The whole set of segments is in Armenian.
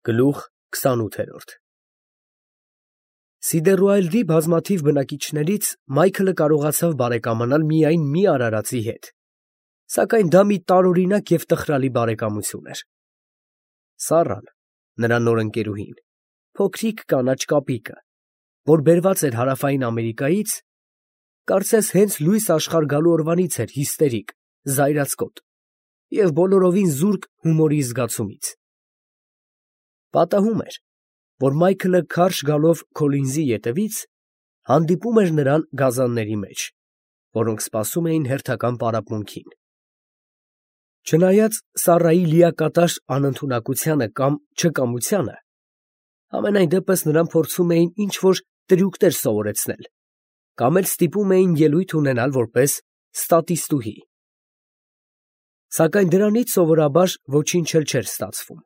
Գլուխ 28 Սիդերուայլդի բազմաթիվ բնակիչներից Մայքլը կարողացավ բարեկամանալ միայն մի արարածի հետ, սակայն դա մի տարօրինակ և տխրալի բարեկամություն էր։ Սառան, նրա նոր ընկերուհին, փոքրիկ կանաչ կապիկը, որ բերված էր Հարավային Ամերիկայից, կարծես հենց լույս աշխարհ գալու օրվանից էր հիստերիկ, զայրացկոտ և բոլորովին զուրկ հումորի զգացումից։ Պատահում էր, որ Մայքլը քարշ գալով Քոլինզի ետևից հանդիպում էր նրան գազանների մեջ, որոնք սպասում էին հերթական պարապմունքին։ Չնայած Սառայի լիակատար անընդունակությանը կամ չկամությանը, համենայն դեպս նրան փորձում էին ինչ-որ տրյուկներ սովորեցնել կամ էլ ստիպում էին ելույթ ունենալ որպես ստատիստուհի։ Սակայն դրանից սովորաբար ոչինչ էլ չէր ստացվում,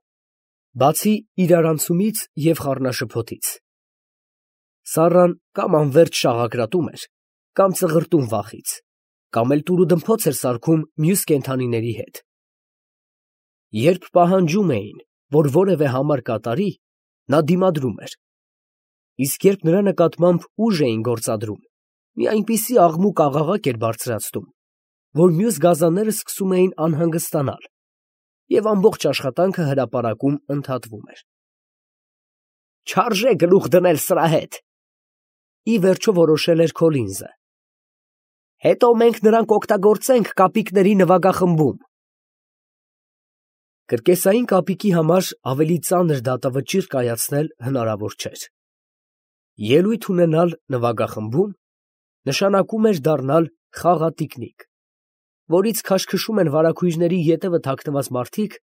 բացի իրարանցումից և խառնաշփոթից։ Սառան կամ անվերջ շաղակրատում էր, կամ ծղրտում վախից, կամ էլ տուրուդմփոց էր սարքում մյուս կենդանիների հետ։ Երբ պահանջում էին, որ որևէ համար կատարի, նա դիմադրում էր, իսկ երբ նրա նկատմամբ ուժ էին գործադրում, մի այնպիսի աղմուկ֊աղաղակ էր բարձրացնում, որ մյուս գազանները սկսում էին անհանգստանալ, և ամբողջ աշխատանքը հրապարակում ընդհատվում էր։ «Չարժե գլուխ դնել սրա հետ», ի վերջո որոշել էր Քոլինզը։ «Հետո մենք նրան կօգտագործենք կապիկների նվագախմբում»։ Կրկեսային կապիկի համար ավելի ծանր դատավճիռ կայացնել հնարավոր չէր։ Ելույթ ունենալ նվագախմբում նշանակում էր դառնալ խաղատիկնիկ, որից քաշքշում են վարագույրների ետևը թաքնված մարդիկ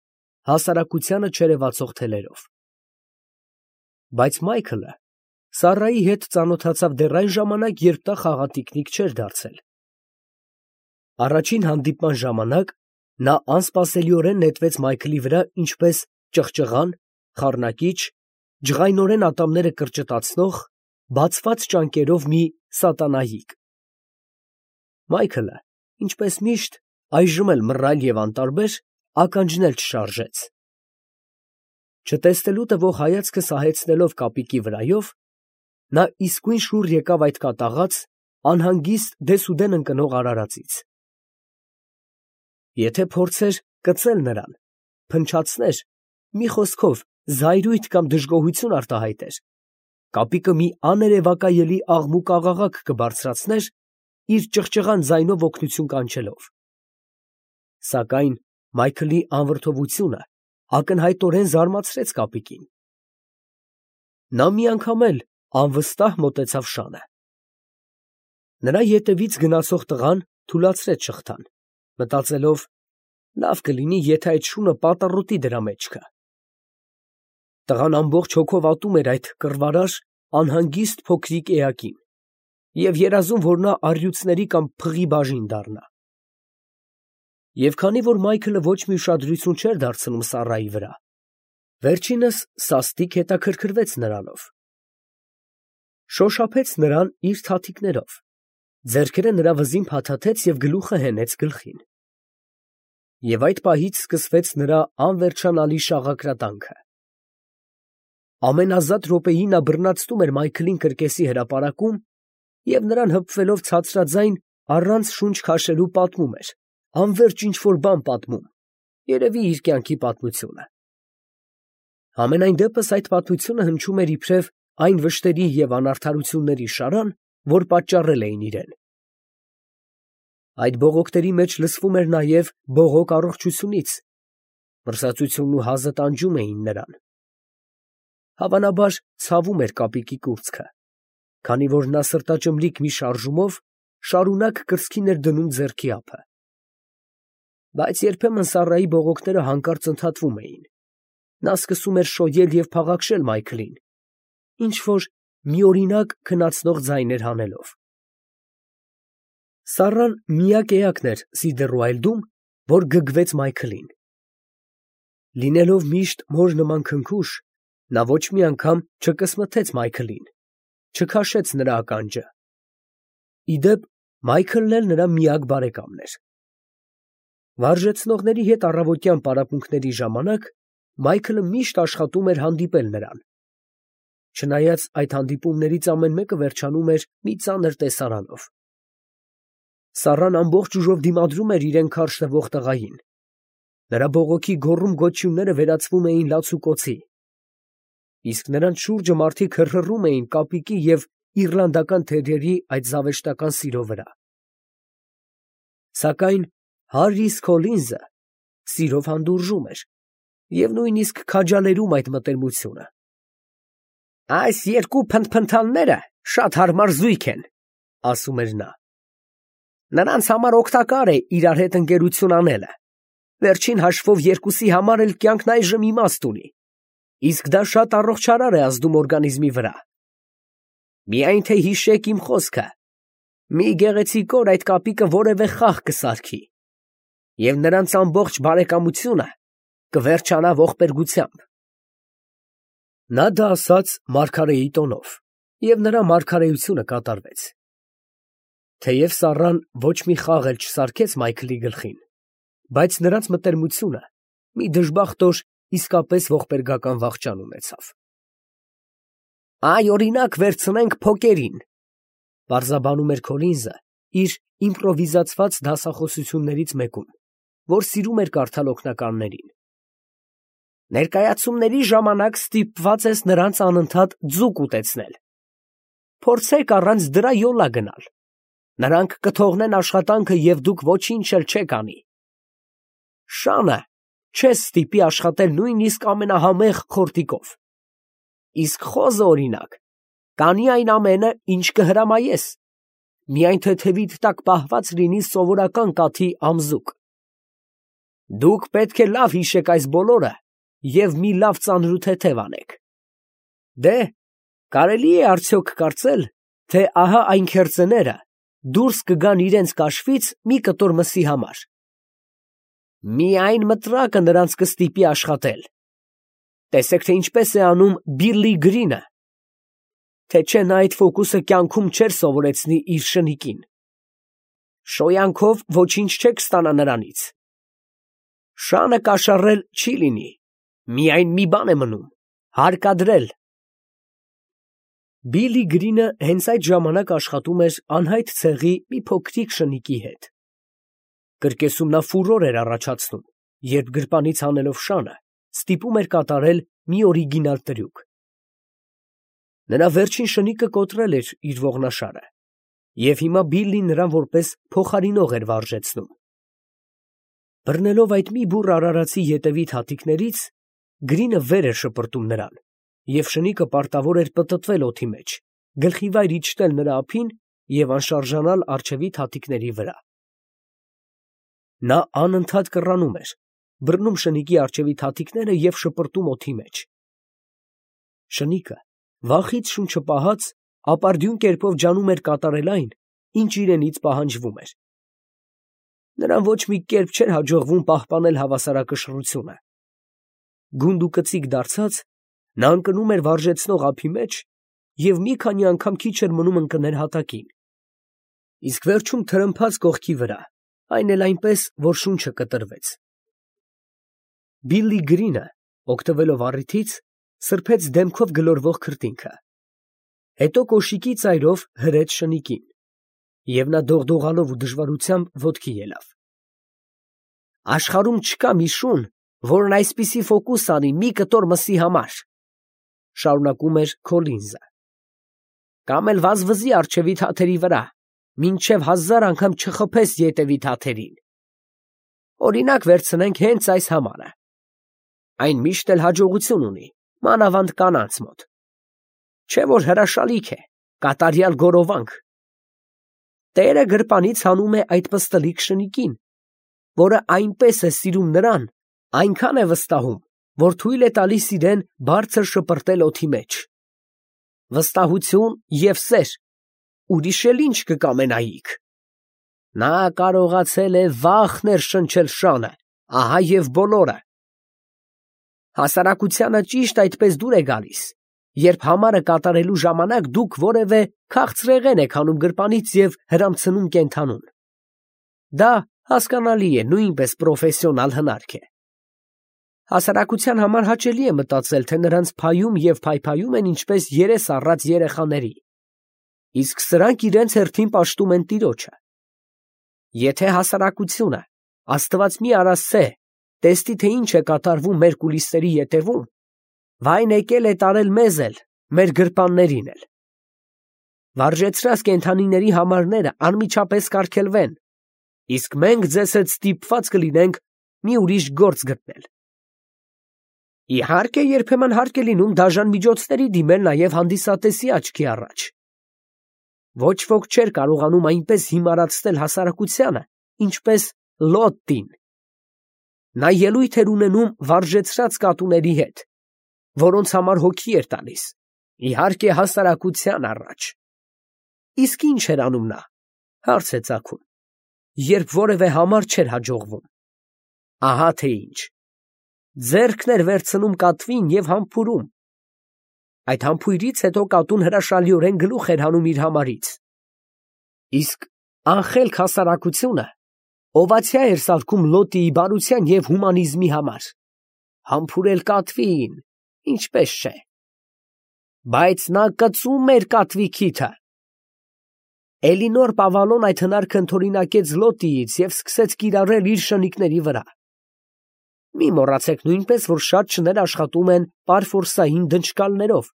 հասարակությանը չերևացող թելերով։ Բայց Մայքլը Սառայի հետ ծանոթացավ դեռ այն ժամանակ, երբ նա խաղատիկնիկ չէր դարձել։ Առաջին հանդիպման ժամանակ նա անսպասելիորեն նետվեց Մայքլի վրա ինչպես ճղճղան, խառնակիչ, ջղայնորեն ատամները կրճտացնող, բացված ճանկերով մի սատանայիկ։ Մայքլը, ինչպես միշտ, այժմ էլ մռայլ և անտարբեր, ականջն էլ չշարժեց։ Չտեսնելու տվող հայացքը սահեցնելով կապիկի վրայով, նա իսկույն շուռ եկավ այդ կատաղած, անհանգիստ դեսուդեն ընկնող արարածից։ Եթե փորձեր կծել նրան, փնչացներ, մի խոսքով զայրույթ կամ դժգոհություն արտահայտեր, կապիկը մի աներևակայելի աղմուկ֊աղաղակ կբարձրացներ, իր ճղճղան ձայնով օգնություն կանչելով։ Սակայն Մայքլի անվրդովությունը ակնհայտորեն զարմացրեց կապիկին։ Նա մի անգամ էլ անվստահ մոտեցավ շանը։ Նրա ետևից գնացող տղան թուլացրեց շղթան, մտածելով. լավ կլինի, եթե այդ շունը պատառոտի դրա մեջքը։ Տղան ամբողջ հոգով ատում էր այդ կռվարար, անհանգիստ փոքրիկ էակին և երազում, որ նա առյուծների կամ փղի բաժին դառնա։ Եվ քանի որ Մայքլը ոչ մի ուշադրություն չէր դարձնում Սառայի վրա, վերջինս սաստիկ հետաքրքրվեց նրանով։ Շոշափեց նրան իր թաթիկներով, ձեռքերը նրա վզին փաթաթեց և գլուխը հենեց գլխին։ Եվ այդ պահից սկսվեց նրա անվերջանալի շաղակրատանքը։ Ամենազատ րոպեին նա բռնացնում էր Մայքլին կրկեսի հրապարակում և նրան հպվելով ցածրաձայն, առանց շունչ քաշելու պատմում էր, անվերջ ինչ֊որ բան պատմում, երևի իր կյանքի պատմությունը։ Համենայն դեպս այդ պատմությունը հնչում էր իբրև այն վշտերի և անարդարությունների շարան, որ պատճառել էին իրեն։ Այդ բողոքների մեջ լսվում էր նաև բողոք առողջությունից, մրսածությունն ու հազը տանջում էին նրան։ Հավանաբար ցավում էր կապիկի կուրծքը, քանի որ նա սրտաճմլիկ մի շարժումով շարունակ կրծքին էր դնում ձեռքի ափը։ Բայց երբեմն Սառայի բողոքները հանկարծ ընդհատվում էին։ Նա սկսում էր շոյել և փաղաքշել Մայքլին, ինչ֊որ միօրինակ քնացնող ձայներ հանելով։ Սառան միակ էակն էր Սիդերուայլդում, որ գգվեց Մայքլին։ Լինելով միշտ մոր նման քնքուշ, նա ոչ մի անգամ չկսմթեց Մայքլին, չքաշեց նրա ականջը։ Ի դեպ, Մայքլն էլ նրա միակ բարեկամն էր։ Վարժեցնողների հետ առավոտյան պարապմունքների ժամանակ Մայքլը միշտ աշխատում էր հանդիպել նրան։ Չնայած այդ հանդիպումներից ամեն մեկը վերջանում էր մի ծանր տեսարանով։ Սառան ամբողջ ուժով դիմադրում էր իրեն քարշ տվող տղային։ Նրա բողոքի գոռում գոչյունները վերածվում էին լացուկոցի, իսկ նրանց շուրջը մարդիկ հռհռում էին կապիկի և իռլանդական թերերի այդ զավեշտական սիրո վրա։ Սակայն Հարրիս Քոլինզը սիրով հանդուրժում էր և նույնիսկ քաջալերում այդ մտերմությունը։ «Այս երկու փնթփնթալները շատ հարմար զույգ են», ֊ ասում էր նա։ «Նրանց համար օգտակար է իրար հետ ընկերություն անելը։ Վերջին հաշվով երկուսի համար էլ կյանքն այժմ իմաստ ունի, իսկ դա շատ առողջարար է ազդում օրգանիզմի վրա։ Միայն թե հիշեք իմ խոսքը, մի գեղեցիկ օր այդ կապիկը որևէ խաղ կսարքի, և նրանց ամբողջ բարեկամությունը կվերջանա ողբերգությամբ»։ Նա դա ասաց մարգարեի տոնով, և նրա մարգարեությունը կատարվեց։ Թեև Սառան ոչ մի խաղ էլ չսարքեց Մայքլի գլխին, բայց նրանց մտերմությունը մի դժբախտ օր իսկապես ողբերգական վախճան ունեցավ։ «Այ, օրինակ, վերցնենք փոկերին», ֊ պարզաբանում էր Քոլինզը իր իմպրովիզացված դասախոսություններից մեկում, որ սիրում էր կարդալ օգնականներին։ «Ներկայացումների ժամանակ ստիպված ես նրանց անընդհատ ձուկ ուտեցնել։ Փորձեք առանց դրա յոլա գնալ. նրանք կթողնեն աշխատանքը և դուք ոչինչ էլ չեք անի։ Շանը չես ստիպի աշխատել նույնիսկ ամենահամեղ խորտիկով, իսկ խոզը, օրինակ, կանի այն ամենը, ինչ կհրամայես, միայն թեթևիդ տակ պահված լինի սովորական կաթի ամզուկ։ Դուք պետք է լավ հիշեք այս բոլորը և մի լավ ծանրութեթև անեք։ Դե, կարելի է արդյոք կարծել, թե ահա այն քերծեները դուրս կգան իրենց կաշվից մի կտոր մսի համար։ Միայն մտրակը նրանց կստիպի աշխատել։ Տեսեք, թե ինչպես է անում Բիլլի Գրինը, թե չէ նա այդ ֆոկուսը կյանքում չէր սովորեցնի իր շնիկին։ Շոյանքով ոչինչ չեք ստանա նրանից։ Շանը կաշառել չի լինի, միայն մի բան է մնում՝ հարկադրել։ Բիլլի Գրինը հենց այդ ժամանակ աշխատում էր անհայտ ցեղի մի փոքրիկ շնիկի հետ։ Կրկեսում նա ֆուրոր էր առաջացնում, երբ գրպանից հանելով շանը, ստիպում էր կատարել մի օրիգինալ տրյուկ։ Նրա վերջին շնիկը կոտրել էր իր ողնաշարը, և հիմա Բիլլին նրան որպես փոխարինող էր վարժեցնում։ Բռնելով այդ մի բուռ արարածի ետևից հատիկներից, Գրինը վեր էր շպրտում նրան, և շնիկը պարտավոր էր պտտվել օդի մեջ, գլխիվայր իջնել նրա ափին և անշարժանալ առջևի հատիկների վրա։ Նա անընդհատ կռանում էր, բռնում շնիկի առջևի հատիկները և շպրտում օդի մեջ։ Շնիկը, վախից շունչը պահած, ապարդյուն կերպով ջանում էր կատարել այն, ինչ իրենից պահանջվում էր։ Նրան ոչ մի կերպ չէր հաջողվում պահպանել հավասարակշռությունը։ Գունդ ու կծիկ դարձած, նա ընկնում էր վարժեցնող ափի մեջ և մի քանի անգամ քիչ էր մնում ընկներ հատակին, իսկ վերջում թրմփաց կողքի վրա, այն էլ այնպես, որ շունչը կտրվեց։ Բիլլի Գրինը, օգտվելով առիթից, սրբեց դեմքով գլորվող քրտինքը, հետո կոշիկի ծայրով հրեց շնիկին, և նա դողդողալով ու դժվարությամբ ոտքի ելավ։ Աշխարհում չկա մի շուն, որն այսպիսի ֆոկուս անի մի կտոր մսի համար, ֊ շարունակում էր Քոլինզը, կամ էլ վազվզի առջևի թաթերի վրա, մինչև 1000 անգամ չխփես ետևի թաթերին։ Օրինակ վերցնենք հենց այս համարը. այն միշտ էլ հաջողություն ունի, մանավանդ կանանց մոտ, չէ՞ որ հրաշալիք է, կատարյալ գորովանք։ Տերը գրպանից հանում է այդ պստլիկ շնիկին, որը այնպես է սիրում նրան, այնքան է վստահում, որ թույլ է տալիս իրեն բարձր շպրտել օդի մեջ։ Վստահություն և սեր, ուրիշ էլ ինչ կկամենայիք։ Նա կարողացել է վաղ ներշնչել շանը, ահա և բոլորը։ Հասարակությանը ճիշտ այդպես դուր է գալիս, երբ համարը կատարելու ժամանակ դուք որևէ քաղցրեղեն եք հանում գրպանից և հրամցնում կենդանուն։ Դա հասկանալի է, նույնպես պրոֆեսիոնալ հնարք է։ Հասարակության համար հաճելի է մտածել, թե նրանց փայում և փայփայում են ինչպես երես առած երեխաների, իսկ սրանք իրենց հերթին պաշտում են տիրոջը։ Եթե հասարակությունը, Աստված մի արասցե, տեսնի, թե ինչ է կատարվում մեր կուլիսների ետևում, վայն եկել է տարել մեզ էլ, մեր գրպաններին էլ։ Վարժեցրած կենդանիների համարները անմիջապես կարգելվեն, իսկ մենք ձեզ հետ ստիպված կլինենք մի ուրիշ գործ գտնել։ Իհարկե, երբեմն հարկ է լինում դաժան միջոցների դիմել նաև հանդիսատեսի աչքի առաջ։ Ոչ ոք չէր կարողանում այնպես հիմարացնել հասարակությանը, ինչպես Լոտին։ Նա ելույթ էր ունենում վարժեցրած կատուների հետ, որոնց համար հոգի էր տալիս, իհարկե հասարակության առաջ։ Իսկ ինչ էր անում նա, հարց է ծագում, երբ որևէ համար չէր հաջողվում։ Ահա թե ինչ։ Ձեռքն էր վերցնում կատվին և համբուրում։ Այդ համբույրից հետո կատուն հրաշալիորեն գլուխ էր հանում իր համարից։ Իսկ անխելք հասարակությունը օվացիա էր սարքում Լոտիի բարության և հումանիզմի համար։ Համբուրել կատվին, ինչպես չէ։ Բայց նա կծում էր կատվի քիթը։ Էլինոր Պավալոն այդ հնարքը ընդօրինակեց Լոտիից և սկսեց կիրառել իր շնիկների վրա։ Մի մոռացեք նույնպես, որ շատ շներ աշխատում են պարֆորսային դնչկալներով։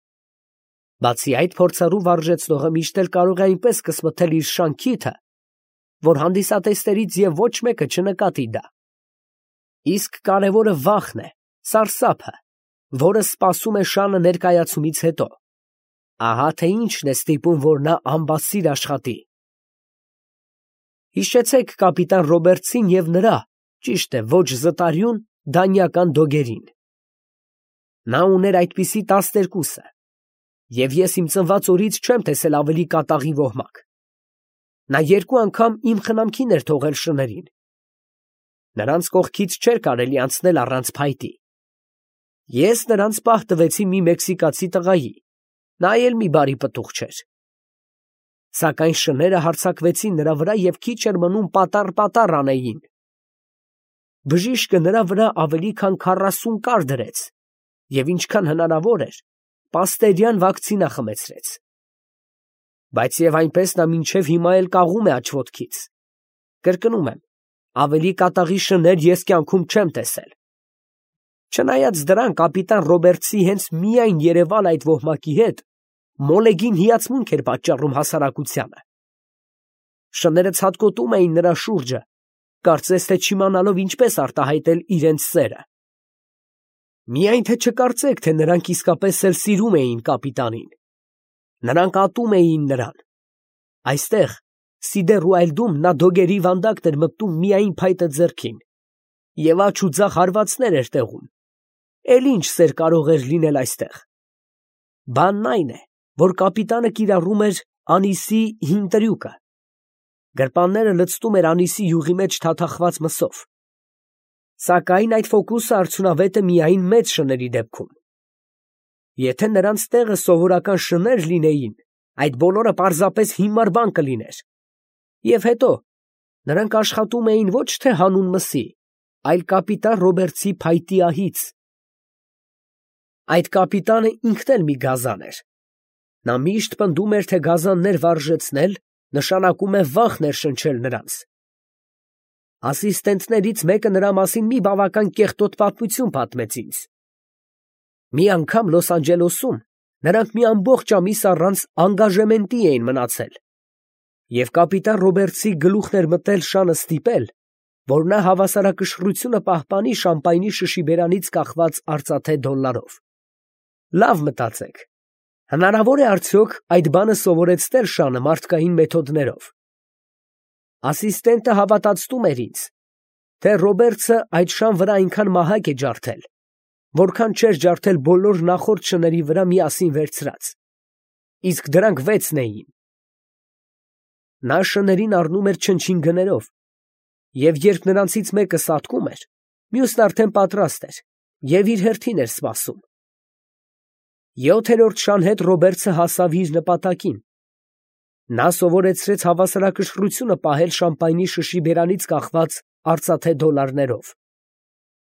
Բացի այդ, փորձառու վարժեցնողը միշտ էլ կարող է այնպես կսմթել իր շանքիթը, որ հանդիսատեսներից և ոչ մեկը չնկատի դա։ Իսկ կարևորը վախն է, սարսափը, որը սպասում է շանը ներկայացումից հետո։ Ահա թե ինչն է ստիպում, որ նա ամբասիր աշխատի։ Հիշեցեք կապիտան Ռոբերտսին և նրա, ճիշտ է, ոչ զտարյուն, դանյական դոգերին։ Նա ուներ այդպիսի 12-ը, և ես իմ ծնված օրից չեմ տեսել ավելի կատաղի ոհմակ։ Նա 2 անգամ իմ խնամքին էր թողել շներին։ Նրանց կողքից չէր կարելի անցնել առանց փայտի։ Ես նրանց պահ տվեցի մի մեքսիկացի տղայի, նա էլ մի բարի պտուղ չէր։ Սակայն շները հարձակվեցին նրա վրա և քիչ էր մնում պատառ անեին։ Բժիշկը նրա վրա ավելի քան 40 կար դրեց և ինչքան հնարավոր էր, պաստերյան վակցինա խմեցրեց։ Բայց և այնպես նա մինչև հիմա էլ կաղում է աջ ոտքից։ Կրկնում եմ, ավելի կատաղի շներ ես կյանքում չեմ տեսել։ Չնայած դրան, կապիտան Ռոբերտսի հենց միայն երևալ այդ ոհմակի հետ մոլեգին հիացմունք էր պատճառում հասարակությանը։ Շները ցատկոտում էին նրա շուրջը, կարծես թե չիմանալով ինչպես արտահայտել իրենց սերը։ Միայն թե չկարծեք, թե նրանք իսկապես էլ սիրում էին կապիտանին։ Նրանք ատում էին նրան։ Այստեղ, Սիդերուայլդում նա դոգերի վանդակն էր մտնում միայն փայտը ձեռքին, և աջ ու ձախ հարվածներ էր տեղում։ Էլ ինչ սեր կարող էր լինել այստեղ։ Բանն այն է, որ կապիտանը կիրառում էր անիսի հին տրյուկը։ Գրպանները լցնում էր անիսի յուղի մեջ թաթախված մսով։ Սակայն այդ ֆոկուսը արդյունավետ է միայն մեծ շների դեպքում։ Եթե նրանց տեղը սովորական շներ լինեին, այդ բոլորը պարզապես հիմար բան կլիներ։ Եվ հետո, նրանք աշխատում էին ոչ թե հանուն մսի, այլ կապիտան Ռոբերտսի փայտի ահից։ Այդ կապիտանը ինքն էլ մի գազան էր։ Նա միշտ պնդում էր, թե գազաններ վարժեցնել նշանակում է վախ ներշնչել նրանց։ Ասիստենտներից մեկը նրա մասին մի բավական կեղտոտ պատմություն պատմեց ինձ։ Մի անգամ Լոս Անջելեսում նրանք մի ամբողջ ամիս առանց անգաժեմենտի էին մնացել, և կապիտան Ռոբերտսի գլուխն էր մտել շանը ստիպել, որ նա հավասարակշռությունը պահպանի շամպայնի շշի բերանից կախված արծաթե դոլարով։ Լավ մտածեք, հնարավոր է արդյոք այդ բանը սովորեցնել շանը մարդկային մեթոդներով։ Ասիստենտը հավատացնում էր ինձ, թե Ռոբերտսը այդ շան վրա այնքան մահակ է ջարդել, որքան չէր ջարդել բոլոր նախորդ շների վրա միասին վերցրած, իսկ դրանք 6 էին։ Նա շներին առնում էր չնչին գներով, և երբ նրանցից մեկը սատկում էր, մյուսն արդեն պատրաստ էր և իր հերթին էր սպասում։ 7-րդ շան հետ Ռոբերտսը հասավ իր նպատակին։ Նա սովորեցրեց հավասարակշռությունը պահել շամպայնի շշի բերանից կախված արծաթե դոլարներով։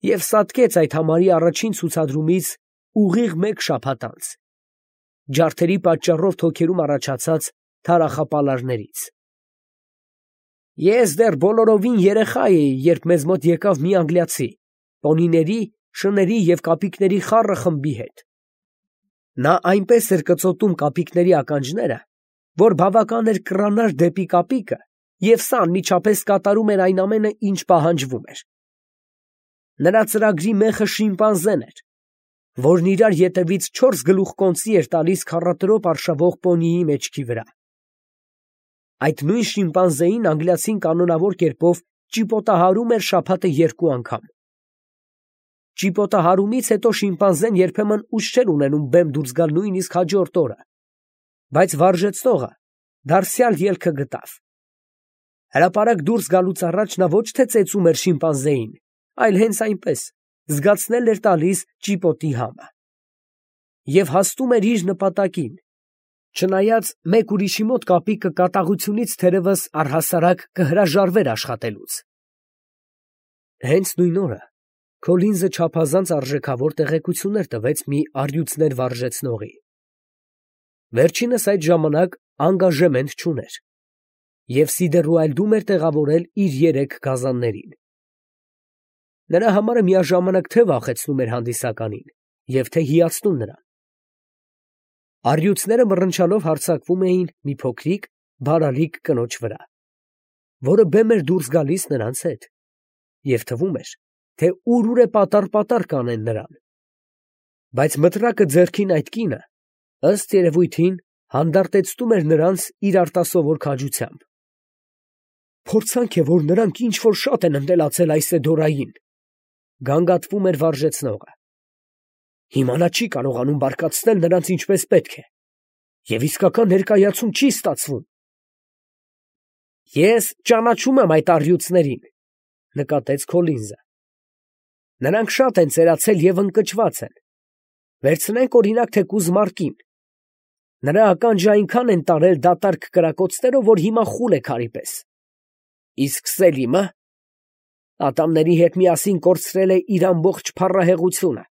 և սատկեց այդ համարի առաջին ցուցադրումից ուղիղ 1 շաբաթ անց, ջարդերի պատճառով թոքերում առաջացած թարախապալարներից։ Ես դեռ բոլորովին երեխա էի, երբ մեզ մոտ եկավ մի անգլիացի, պոնիների, շների և կապիկների խառը խմբի հետ։ Նա այնպես էր կծոտում կապիկների ականջները, որ բավական էր կռանար դեպի կապիկը, և սա անմիջապես կատարում էր այն ամենը, ինչ պահանջվում էր։ Նրա ծրագրի մեխը շիմպանզեն էր, որն իրար ետևից 4 գլուխ կոնծի էր տալիս քառատրոպ արշավող պոնիի մեջքի վրա։ Այդ նույն շիմպանզեին անգլիացին կանոնավոր կերպով ճիպոտահարում էր շաբաթը 2 անգամ։ Ճիպոտահարումից հետո շիմպանզեն երբեմն ուժ չէր ունենում բեմ դուրս գալ նույնիսկ հաջորդ օրը, բայց վարժեցնողը դարձյալ ելքը գտավ։ Հրապարակ դուրս գալուց առաջ նա ոչ թե ծեծում էր շիմպանզեին, այլ հենց այնպես զգացնել էր տալիս ճիպոտի համը և հասնում էր իր նպատակին, չնայած մեկ ուրիշի մոտ կապիկը կատաղությունից թերևս առհասարակ կհրաժարվեր աշխատելուց։ Հենց նույն օրը Քոլինզը չափազանց արժեքավոր տեղեկություններ տվեց մի առյուծներ վարժեցնողի։ Վերջինս այդ ժամանակ անգաժեմենտ չուներ և Սիդերուայլդում էր տեղավորել իր 3 գազաններին։ Նրա համարը միաժամանակ թե վախեցնում էր հանդիսականին և թե հիացնում նրան։ Առյուծները մռնչալով հարձակվում էին մի փոքրիկ, բարալիկ կնոջ վրա, որը բեմ էր դուրս գալիս նրանց հետ, և թվում էր, թե ուր է պատառ կանեն նրան։ Բայց մտրակը ձեռքին այդ կինը, ըստ երևույթին, հանդարտեցնում էր նրանց իր արտասովոր քաջությամբ։ Փորձանք է, որ նրանք ինչ-որ շատ են ընտելացել Այսեդորային, գանգատվում էր վարժեցնողը։ Հիմա նա չի կարողանում բարկացնել նրանց ինչպես պետք է, և իսկական ներկայացում չի ստացվում։ Ես ճանաչում եմ այդ առյուծներին, նկատեց Քոլինզը։ Նրանք շատ են ծերացել և ընկճված են։ Վերցնենք օրինակ թեկուզ Մարկին։ Նրա ականջը այնքան են տարել դատարկ կրակոցներով, որ հիմա խուլ է քարի պես։ Իսկ Սելիմը ատամների հետ միասին կորցրել է իր ամբողջ փառահեղությունը։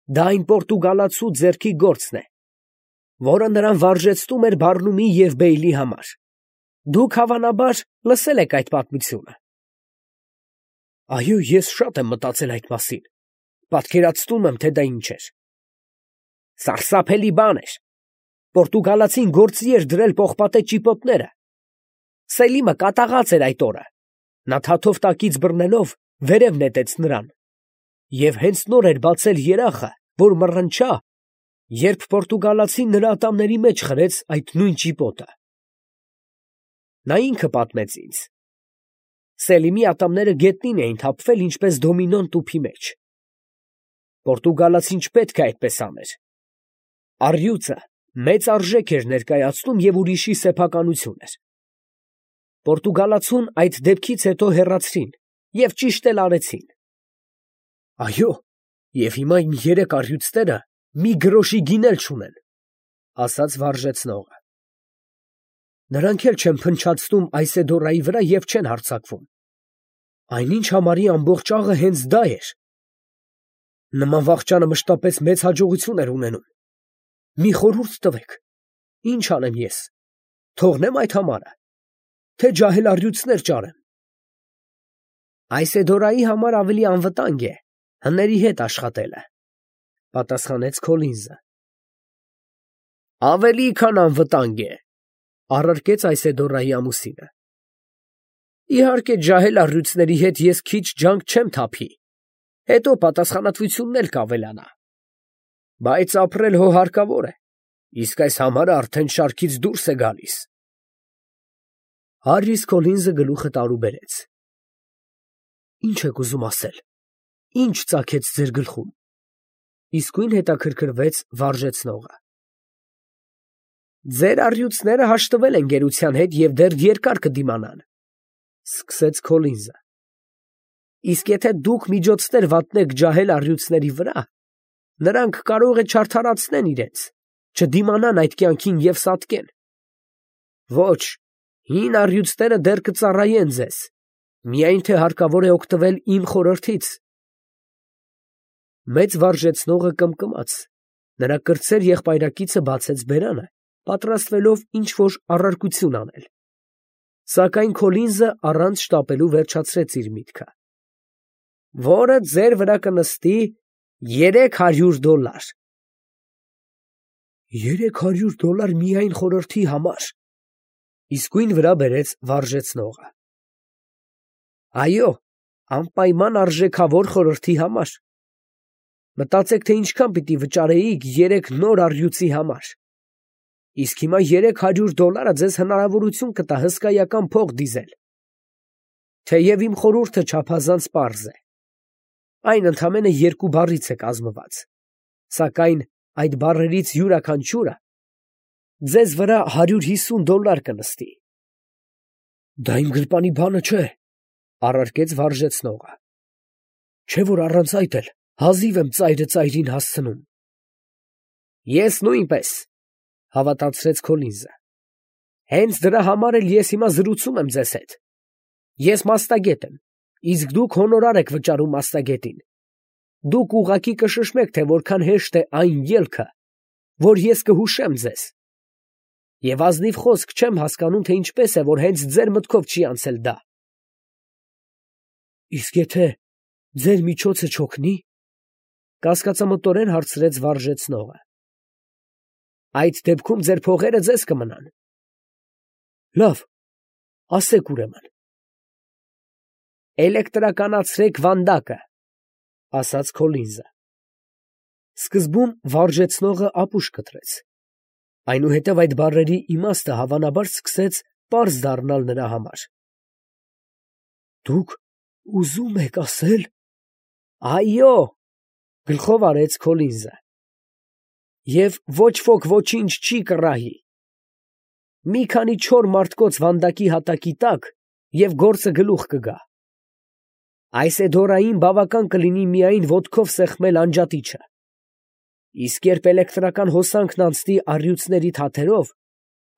Դա այն պորտուգալացու ձեռքի գործն է, որը նրան վարժեցնում էր Բարնումի և Բեյլի համար։ Դուք հավանաբար լսել եք այդ պատմությունը։ Այո, ես շատ եմ մտածել այդ մասին։ Պատկերացնում եմ, թե դա ինչ էր։ Սարսափելի բան էր։ Պորտուգալացին գործի էր դրել պողպատե ճիպոտները։ Սելիմը կատաղած էր այդ օրը։ Նա թաթով տակից բռնելով վերև նետեց նրան։ Եվ հենց նոր էր բացել երախը, որ մռնչա, երբ պորտուգալացին նրա ատամների մեջ խրեց այդ նույն ճիպոտը։ Նա ինքը պատմեց ինձ։ Սելիմի ատամները գետնին էին թափվել, ինչպես դոմինոն տուփի մեջ։ Պորտուգալացին չպետք է այդպես աներ։ Առյուծը մեծ արժեք էր ներկայացնում և ուրիշի սեփականություն էր։ Պորտուգալացուն այդ դեպքից հետո հեռացրին և ճիշտ էլ արեցին։ Այո, և հիմա իմ 3 առյուծները մի գրոշի գին էլ չունեն, ասաց վարժեցնողը։ Նրանք էլ չեն փնչացնում Այսեդորայի վրա և չեն հարձակվում։ Այնինչ համարի ամբողջ աղը հենց դա էր։ Նման վախճանը մշտապես մեծ հաջողություն էր ունենում։ Մի խորհուրդ տվեք, ինչ անեմ ես, թողնե՞մ այդ համարը, թե ջահել առյուծներ ճարեմ։ Այսեդորայի համար ավելի անվտանգ է հների հետ աշխատելը, պատասխանեց Քոլինզը։ Ավելի քան անվտանգ է, առարկեց Այսեդորայի ամուսինը։ Իհարկե, ջահել առյուծների հետ ես քիչ ջանք չեմ թափի, հետո պատասխանատվությունն էլ կավելանա։ Բայց ապրել հո հարկավոր է, իսկ այս համարը արդեն շարքից դուրս է գալիս։ Հարրիս Քոլինզը գլուխը տարուբերեց։ Ինչ եք ուզում ասել, ինչ ծագեց ձեր գլխում, իսկույն հետաքրքրվեց վարժեցնողը։ Ձեր առյուծները հաշտվել են գերության հետ և դեռ երկար կդիմանան, սկսեց Քոլինզը։ Իսկ եթե դուք միջոցներ վատնեք ջահել առյուծների վրա, նրանք կարող է չարդարացնեն իրենց, չդիմանան այդ կյանքին և սատկեն։ Ոչ, հին առյուծները դեռ կծառայեն ձեզ, միայն թե հարկավոր է օգտվել իմ խորհրդից, Մեծ վարժեցնողը կմկմաց, նրա կրտսեր եղբայրակիցը բացեց բերանը, պատրաստվելով ինչ-որ առարկություն անել, սակայն Քոլինզը առանց շտապելու վերջացրեց իր միտքը. որը ձեր վրա կնստի $300։ $300 միայն խորհրդի համար, իսկույն վրա բերեց վարժեցնողը։ Այո, անպայման արժեքավոր խորհրդի համար։ Մտածեք, թե ինչքան պիտի վճարեիք 3 նոր առյուծի համար։ Իսկ հիմա $300 ձեզ հնարավորություն կտա հսկայական փող դիզել։ Թեև իմ խորհուրդը չափազանց պարզ է։ Այն ընդամենը 2 բառից է կազմված, սակայն այդ բառերից յուրաքանչյուրը ձեզ վրա $150 կնստի։ Դա իմ գրպանի բանը չէ, առարկեց վարժեցնողը։ Չէ՞ որ առանց այդ էլ հազիվ եմ ծայրը ծայրին հասցնում։ Ես նույնպես, հավատացրեց Քոլինզը։ Հենց դրա համար էլ ես հիմա զրուցում եմ ձեզ հետ։ Ես մասնագետ եմ, իսկ դուք հոնորար եք վճարում մասնագետին։ Դուք ուղղակի կշշմեք, թե որքան հեշտ է այն ելքը, որ ես կհուշեմ ձեզ։ Եվ ազնիվ խոսք չեմ հասկանում, թե ինչպես է, որ հենց ձեր մտքով չի անցել դա։ Իսկ եթե ձեր միջոցը չօգնի, կասկածամտորեն հարցրեց վարժեցնողը։ Այդ դեպքում ձեր փողերը ձեզ կմնան։ Լավ, ասեք ուրեմն։ Էլեկտրականացրեք վանդակը, ասաց Քոլինզը։ Սկզբում վարժեցնողը ապուշ կտրեց, այնուհետև այդ բառերի իմաստը հավանաբար սկսեց պարզ դառնալ նրա համար։ Դուք ուզում եք ասել… Այո, գլխով արեց Քոլինզը։ Եվ ոչ ոք ոչինչ չի կռահի։ Մի քանի չոր մարդկոց վանդակի հատակի տակ, և գործը գլուխ կգա։ Այս էդորային բավական կլինի միայն ոտքով սեղմել անջատիչը։ Իսկ երբ էլեկտրական հոսանքն անցնի առյուծների թաթերով,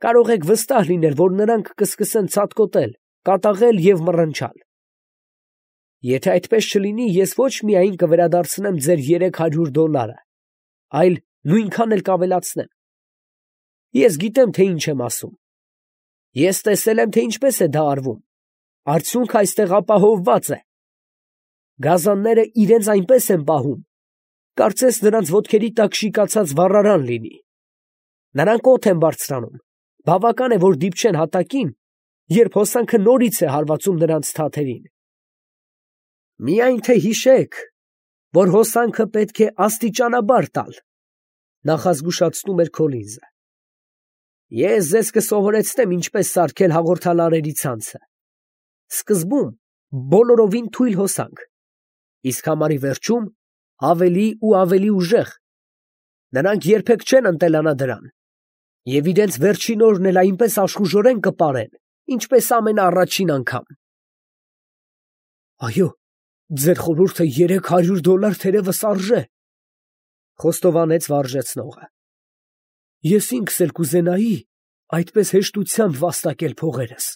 կարող եք վստահ լինել, որ նրանք կսկսեն ցատկոտել, կատաղել և մռնչալ։ Եթե այդպես չլինի, ես ոչ միայն կվերադարձնեմ ձեր $300, այլ նույնքան էլ կավելացնեմ։ Ես գիտեմ, թե ինչ եմ ասում։ Ես տեսել եմ, թե ինչպես է դա արվում։ Արդյունքը այստեղ ապահովված է։ Գազանները իրենց այնպես են պահում, կարծես նրանց ոտքերի տակ շիկացած վառարան լինի։ Նրանք օդ են բարձրանում, բավական է, որ դիպչեն հատակին, երբ հոսանքը նորից է հարվածում նրանց թաթերին։ Միայն թե հիշեք, որ հոսանքը պետք է աստիճանաբար տալ, նախազգուշացնում էր Քոլինզը։ Ես ձեզ կսովորեցնեմ ինչպես սարքել հաղորդալարերի ցանցը։ Սկզբում բոլորովին թույլ հոսանք, իսկ համարի վերջում ավելի ու ավելի ուժեղ։ Նրանք երբեք չեն ընտելանա դրան, և իրենց վերջին օրն էլ այնպես աշխուժորեն կպարեն, ինչպես ամենաառաջին անգամ։ Այո, ձեր խորհուրդը $300 թերևս արժե, խոստովանեց վարժեցնողը։ Ես ինքս էլ կուզենայի այդպես հեշտությամբ վաստակել փողերս։